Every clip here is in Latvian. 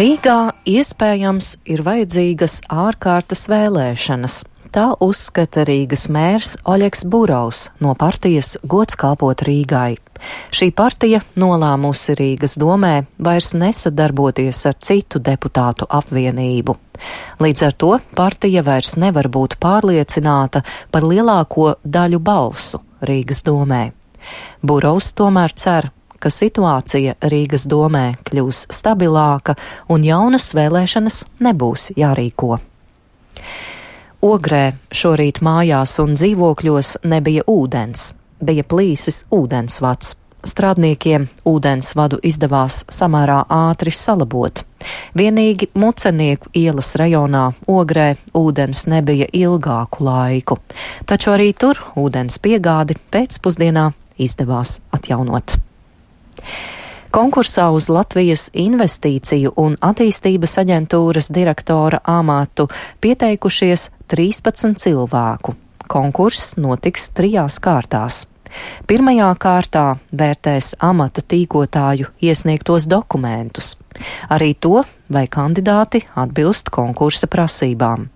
Rīgā iespējams ir vajadzīgas ārkārtas vēlēšanas. Tā uzskata Rīgas mērs Oļegs Burovs no partijas Gods kalpot Rīgai. Šī partija nolēmusi Rīgas domē vairs nesadarboties ar citu deputātu apvienību. Līdz ar to partija vairs nevar būt pārliecināta par lielāko daļu balsu Rīgas domē. Burovs tomēr cer, ka situācija Rīgas domē kļūs stabilāka un jaunas vēlēšanas nebūs jārīko. Ogrē šorīt mājās un dzīvokļos nebija ūdens, bija plīsis ūdensvads. Strādniekiem ūdensvadu izdevās samērā ātri salabot. Vienīgi Mucenieku ielas rajonā Ogrē ūdens nebija ilgāku laiku, taču arī tur ūdens piegādi pēcpusdienā izdevās atjaunot. Konkursā uz Latvijas Investīciju un attīstības aģentūras direktora amatu pieteikušies 13 cilvēku. Konkurss notiks 3 kārtās. Pirmajā kārtā vērtēs amata tīkotāju iesniegtos dokumentus, arī to, vai kandidāti atbilst konkursa prasībām.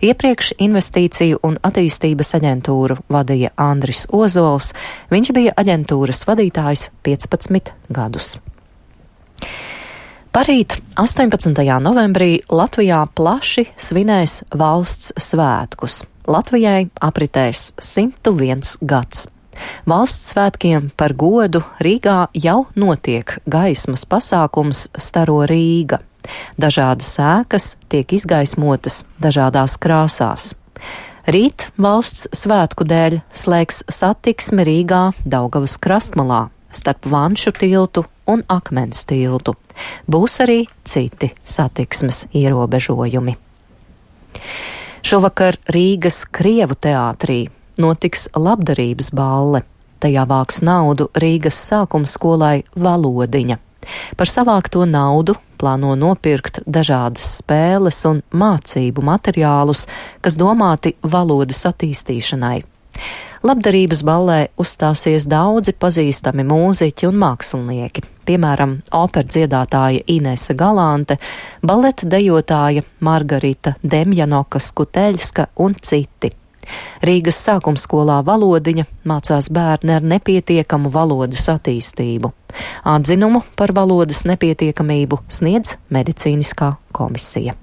Iepriekš Investīciju un attīstības aģentūru vadīja Andris Ozols, viņš bija aģentūras vadītājs 15 gadus. Parīt, 18. novembrī, Latvijā plaši svinēs valsts svētkus. Latvijai apritēs 101 gads. Valsts svētkiem par godu Rīgā jau notiek gaismas pasākums Staro Rīga. Dažādas ēkas tiek izgaismotas dažādās krāsās. Rīt valsts svētku dēļ slēgs satiksmi Rīgā Daugavas krastmalā starp Vanšu tiltu un Akmens tiltu. Būs arī citi satiksmes ierobežojumi. Šovakar Rīgas Krievu teātrī notiks labdarības balle. Tajā vāks naudu Rīgas sākumskolai Valodiņa. Par savākto naudu plāno nopirkt dažādas spēles un mācību materiālus, kas domāti valodas attīstīšanai. Labdarības ballē uzstāsies daudzi pazīstami mūziķi un mākslinieki, piemēram, operdziedātāja Inese Galante, baleta dejotāja Margarita Demjanoka Skuteļska un citi. Rīgas sākumskolā Valodiņa mācās bērni ar nepietiekamu valodas attīstību. Atzinumu par valodas nepietiekamību sniedz medicīniskā komisija.